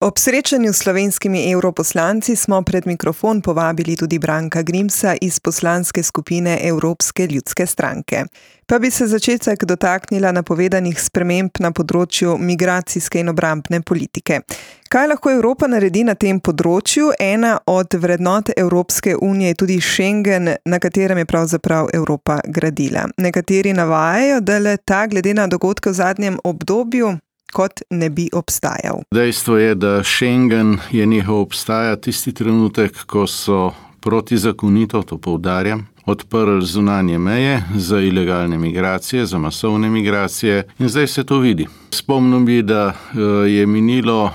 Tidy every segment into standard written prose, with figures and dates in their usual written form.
Ob srečanju s slovenskimi evroposlanci smo pred mikrofon povabili tudi Branka Grimsa iz poslanske skupine Evropske ljudske stranke. Pa bi se začetek dotaknila napovedanih sprememb na področju migracijske in obrambne politike. Kaj lahko Evropa naredi na tem področju? Ena od vrednot Evropske unije je tudi Schengen, na katerem je pravzaprav Evropa gradila. Nekateri navajajo, da le ta glede na dogodke v zadnjem obdobju kot ne bi obstajal. Dejstvo je, da Schengen je nehal obstajati tisti trenutek, ko so protizakonito, to poudarjam, odprli zunanje meje za ilegalne migracije, za masovne migracije in zdaj se to vidi. Spomnim bi, da je minilo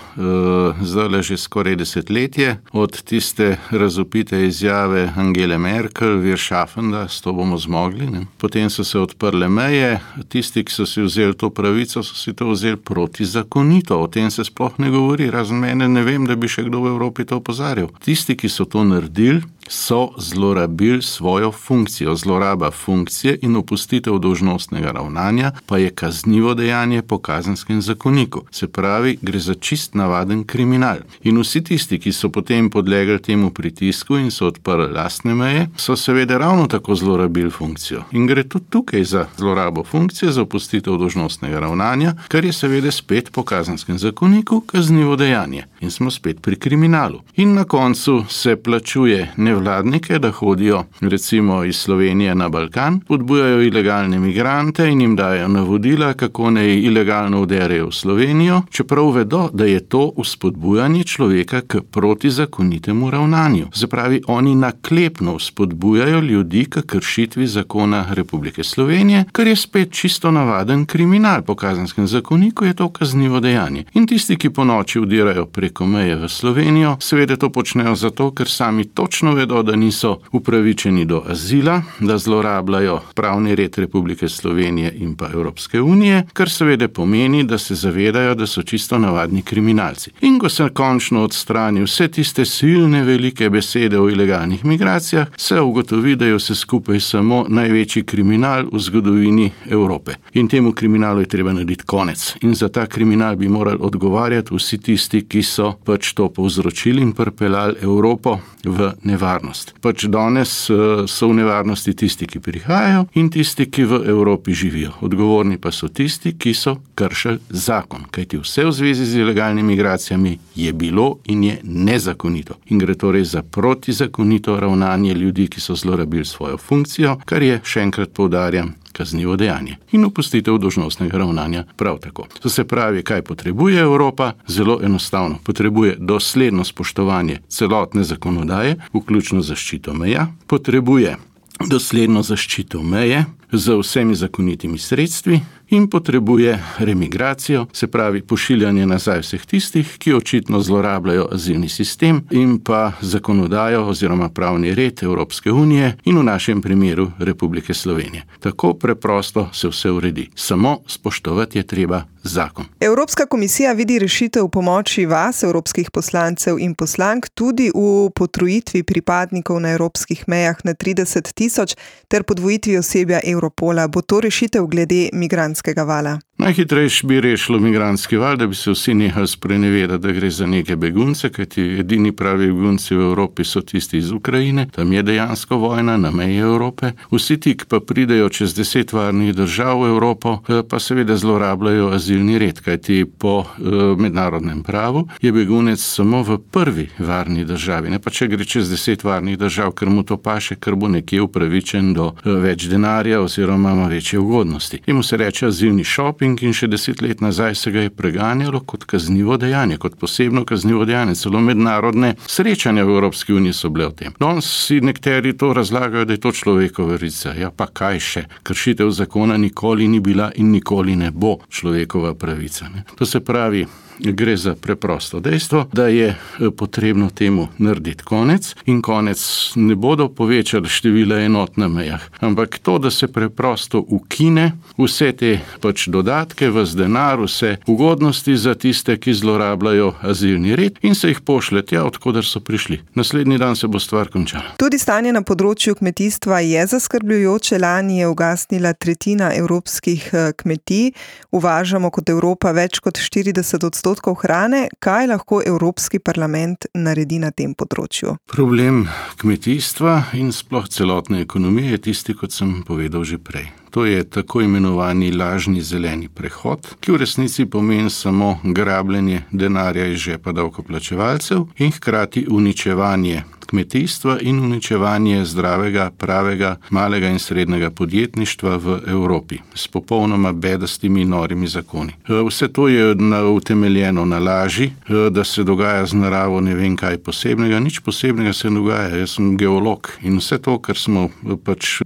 zdaj že skoraj desetletje od tiste razvpite izjave Angele Merkel, wir schaffen das, to bomo zmogli. Ne? Potem so se odprle meje, tisti, ki so si vzeli to pravico, so si to vzeli protizakonito. O tem se sploh ne govori, razen mene ne vem, da bi še kdo v Evropi to opozarjal. Tisti, ki so to naredili, so zlorabili svojo funkcijo. Zloraba funkcije in opustitev dolžnostnega ravnanja pa je kaznivo dejanje po Kazenskem zakoniku. Se pravi, gre za čist navaden kriminal. In vsi tisti, ki so potem podlegli temu pritisku in so odprli lastne meje, so seveda ravno tako zlorabili funkcijo. In gre tudi tukaj za zlorabo funkcije, za opustitev dolžnostnega ravnanja, kar je seveda spet po Kazenskem zakoniku kaznivo dejanje. In smo spet pri kriminalu. In na koncu se plačuje nevladnike, da hodijo recimo iz Slovenije na Balkan, podbujajo ilegalne migrante in jim dajo navodila, kako naj ilegalno vderejo v Slovenijo, čeprav vedo, da je to vzpodbujanje človeka k protizakonitemu ravnanju. Zapravi, oni naklepno vzpodbujajo ljudi k kršitvi zakona Republike Slovenije, kar je spet čisto navaden kriminal. Po Kazenskem zakoniku je to kaznivo dejanje. In tisti, ki ponoči vdirajo preko meje v Slovenijo, seveda to počnejo zato, ker sami točno vedo, da niso upravičeni do azila, da zlorabljajo pravni red Republike Slovenije in pa Evropske unije, kar seveda pomeni, da se zavedajo, da so čisto navadni kriminalci. In ko se končno odstrani vse tiste silne velike besede o ilegalnih migracijah, se ugotovi, da je vse skupaj samo največji kriminal v zgodovini Evrope. In temu kriminalu je treba narediti konec. In za ta kriminal bi morali odgovarjati vsi tisti, ki so pač to povzročili in pripeljali Evropo v nevarnost. Pač danes so v nevarnosti tisti, ki prihajajo in tisti, ki v Evropi živijo. Odgovorni pa so tisti, ki so kršili zakon. Kajti vse v zvezi z ilegalnimi migracijami je bilo in je nezakonito. In gre torej za protizakonito ravnanje ljudi, ki so zlorabili svojo funkcijo, kar je, še enkrat poudarjam, kaznivo dejanje. In opustitev dolžnostnega ravnanja prav tako. To se pravi, kaj potrebuje Evropa? Zelo enostavno. Potrebuje dosledno spoštovanje celotne zakonodaje, vključno zaščito meja. Potrebuje dosledno zaščito meje z vsemi zakonitimi sredstvi in potrebuje remigracijo, se pravi pošiljanje nazaj vseh tistih, ki očitno zlorabljajo azilni sistem in pa zakonodajo oziroma pravni red Evropske unije in v našem primeru Republike Slovenije. Tako preprosto se vse uredi. Samo spoštovati je treba zakon. Evropska komisija vidi rešitev v pomoči vas, evropskih poslancev in poslank, tudi v potrojitvi pripadnikov na evropskih mejah na 30 000 ter podvojitvi osebja Europola. Bo to rešitev glede migrantskega vala? Najhitrejši bi rešilo migrantski val, da bi se vsi nehali sprenevedati, da gre za neke begunce, kajti edini pravi begunci v Evropi so tisti iz Ukrajine, tam je dejansko vojna na meji Evrope. Vsi ti, ki pa pridejo čez 10 varnih držav v Evropo, pa seveda zlorabljajo azilni red, kajti po mednarodnem pravu je begunec samo v prvi varni državi. Ne pa če gre čez 10 varnih držav, ker mu to paše, ker bo nekje upravičen do več denarja oziroma ima večje ugodnosti. Temu se reče azilni shopping in še 10 let nazaj se ga je preganjalo kot kaznivo dejanje, kot posebno kaznivo dejanje. Celo mednarodne srečanja v Evropski uniji so bile o tem. Danes si nekateri to razlagajo, da je to človekova pravica. Ja pa kaj še? Kršitev zakona nikoli ni bila in nikoli ne bo človekova pravica. Ne? To se pravi, gre za preprosto dejstvo, da je potrebno temu narediti konec in konec ne bodo povečali števila enot na mejah, ampak to, da se preprosto ukine vse te pač dodatke, vse denar, vse ugodnosti za tiste, ki zlorabljajo azilni red in se jih pošlje tja, od koder so prišli. Naslednji dan se bo stvar končala. Tudi stanje na področju kmetijstva je zaskrbljujoče. Lani je ugasnila tretjina evropskih kmetij. Uvažamo kot Evropa več kot 40% odstotkov hrane, kaj lahko Evropski parlament naredi na tem področju? Problem kmetijstva in sploh celotne ekonomije je tisti, kot sem povedal že prej. To je tako imenovani lažni zeleni prehod, ki v resnici pomeni samo grabljenje denarja iz žepa davkoplačevalcev in hkrati uničevanje kmetijstva in uničevanje zdravega, pravega, malega in srednjega podjetništva v Evropi s popolnoma bedastimi norimi zakoni. Vse to je utemeljeno na laži, da se dogaja z naravo ne vem kaj posebnega, nič posebnega se dogaja. Jaz sem geolog in vse to, kar smo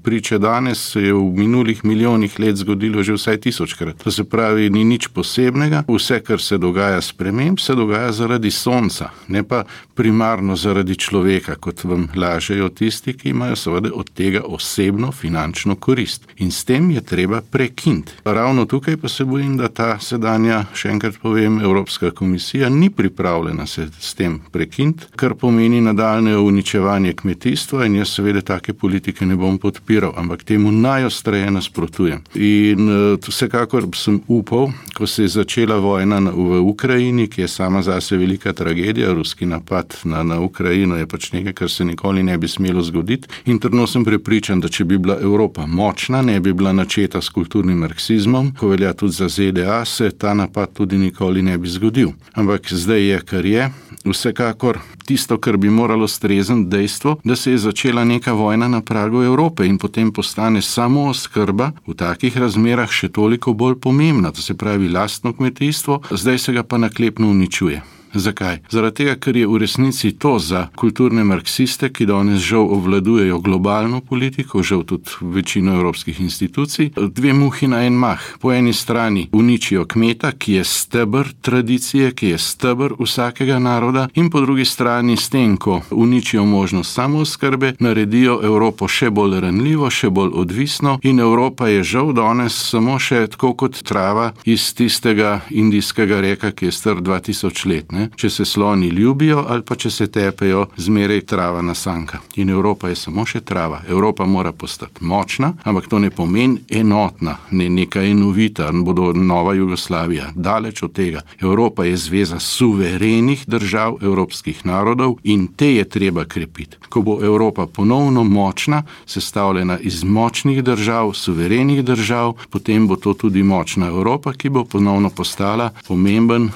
priče danes, se je v minulih milijonih let zgodilo že vsaj 1000-krat. To se pravi, ni nič posebnega, vse, kar se dogaja sprememb, se dogaja zaradi sonca, ne pa primarno zaradi človeka, kot vam lažejo tisti, ki imajo seveda od tega osebno finančno korist. In s tem je treba prekiniti. Ravno tukaj pa se bojim, da ta sedanja, še enkrat povem, Evropska komisija ni pripravljena se s tem prekiniti, kar pomeni nadaljne uničevanje kmetijstva in jaz seveda take politike ne bom podpiral, ampak temu najostreje nasprotujem. In vsekakor sem upal, ko se je začela vojna v Ukrajini, ki je sama zase velika tragedija, ruski napad na Ukrajino je pač nekaj, kar se nikoli ne bi smelo zgoditi. In trdno sem prepričan, da če bi bila Evropa močna, ne bi bila načeta s kulturnim marksizmom, ko velja tudi za ZDA, se ta napad tudi nikoli ne bi zgodil. Ampak zdaj je, kar je. Vsekakor tisto, kar bi moralo strezniti dejstvo, da se je začela neka vojna na pragu Evrope in potem postane samo oskrba v takih razmerah še toliko bolj pomembna, to se pravi lastno kmetijstvo, zdaj se ga pa naklepno uničuje. Zakaj? Zaradi tega, ker je v resnici to za kulturne marksiste, ki danes žal obvladujejo globalno politiko, žal tudi večino evropskih institucij, dve muhi na en mah. Po eni strani uničijo kmeta, ki je steber tradicije, ki je steber vsakega naroda, in po drugi strani s tem, ko uničijo možnost samooskrbe, naredijo Evropo še bolj ranljivo, še bolj odvisno in Evropa je žal danes samo še tako kot trava iz tistega indijskega reka, ki je star 2000 let. Če se sloni ljubijo ali pa če se tepejo, zmeraj trava nasanka. In Evropa je samo še trava. Evropa mora postati močna, ampak to ne pomeni enotna, ne neka enovita, bodo nova Jugoslavija. Daleč od tega. Evropa je zveza suverenih držav evropskih narodov in te je treba krepiti. Ko bo Evropa ponovno močna, sestavljena iz močnih držav, suverenih držav, potem bo to tudi močna Evropa, ki bo ponovno postala pomemben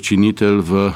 činitelj v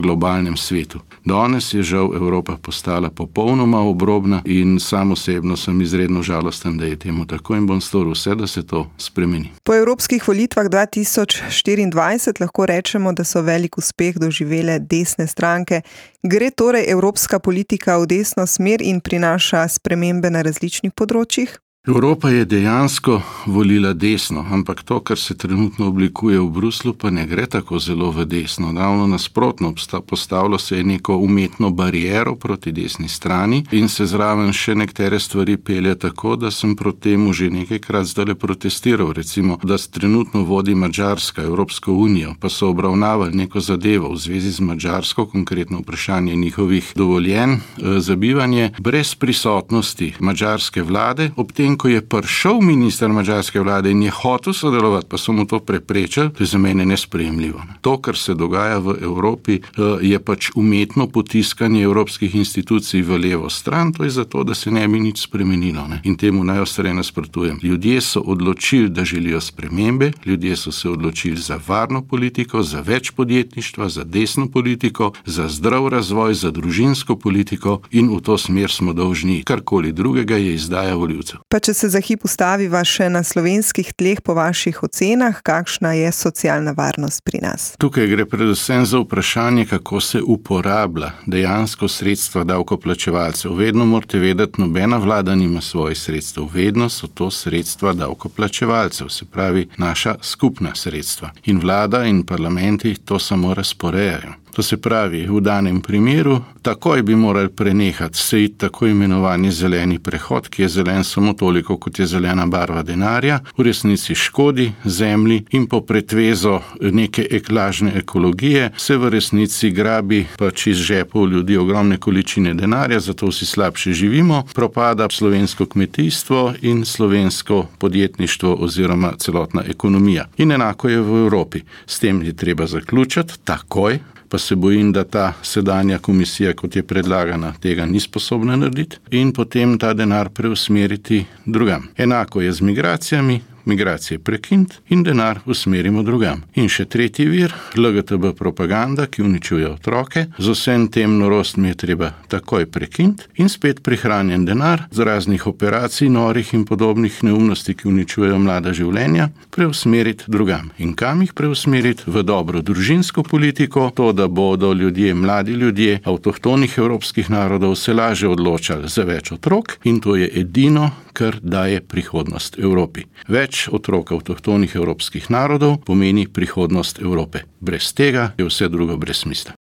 globalnem svetu. Danes je žal Evropa postala popolnoma obrobna in sam osebno sem izredno žalosten, da je temu tako in bom storil vse, da se to spremeni. Po evropskih volitvah 2024 lahko rečemo, da so velik uspeh doživele desne stranke. Gre torej evropska politika v desno smer in prinaša spremembe na različnih področjih? Evropa je dejansko volila desno, ampak to, kar se trenutno oblikuje v Bruslu, pa ne gre tako zelo v desno. Ravno nasprotno, postavilo se je neko umetno bariero proti desni strani in se zraven še nekatere stvari pelje tako, da sem proti temu že nekajkrat zdajle protestiral. Recimo, da trenutno vodi Madžarska Evropsko unijo, pa so obravnavali neko zadevo v zvezi z Madžarsko, konkretno vprašanje njihovih dovoljenj za bivanje, brez prisotnosti madžarske vlade, ob tem, ko je prišel minister madžarske vlade in je hotel sodelovati, pa so mu to preprečili, to je za mene nesprejemljivo. To, kar se dogaja v Evropi, je pač umetno potiskanje evropskih institucij v levo stran, to je zato, da se ne bi nič spremenilo. In temu najostreje nasprotujem. Ljudje so odločili, da želijo spremembe, ljudje so se odločili za varno politiko, za več podjetništva, za desno politiko, za zdrav razvoj, za družinsko politiko in v to smer smo dolžni. Karkoli drugega je izdaja volivcev. Pa če se za hip ustaviva še na slovenskih tleh po vaših ocenah, kakšna je socialna varnost pri nas? Tukaj gre predvsem za vprašanje, kako se uporablja dejansko sredstva davkoplačevalcev. Vedno morate vedeti, nobena vlada nima svojih sredstev. Vedno so to sredstva davkoplačevalcev, se pravi naša skupna sredstva. In vlada in parlamenti to samo razporejajo. To se pravi, v danem primeru takoj bi morali prenehati sejti tako imenovani zeleni prehod, ki je zelen samo toliko, kot je zelena barva denarja, v resnici škodi zemlji in po pretvezo neke lažne ekologije se v resnici grabi pač iz žepov ljudi ogromne količine denarja, zato vsi slabše živimo, propada slovensko kmetijstvo in slovensko podjetništvo oziroma celotna ekonomija. In enako je v Evropi. S tem je treba zaključiti takoj, pa se bojim, da ta sedanja komisija, kot je predlagana, tega ni sposobna narediti in potem ta denar preusmeriti drugam. Enako je z migracijami, migracije prekiniti in denar usmerimo drugam. In še tretji vir, LGTB propaganda, ki uničuje otroke, z vsem tem norostmi je treba takoj prekiniti in spet prihranjen denar z raznih operacij, norih in podobnih neumnosti, ki uničujejo mlada življenja, preusmeriti drugam. In kam jih preusmeriti? V dobro družinsko politiko, to, da bodo ljudje, mladi ljudje avtohtonih evropskih narodov se lažje odločali za več otrok in to je edino, kar daje prihodnost Evropi. Več otrok avtohtonih evropskih narodov pomeni prihodnost Evrope. Brez tega je vse drugo brez smisla.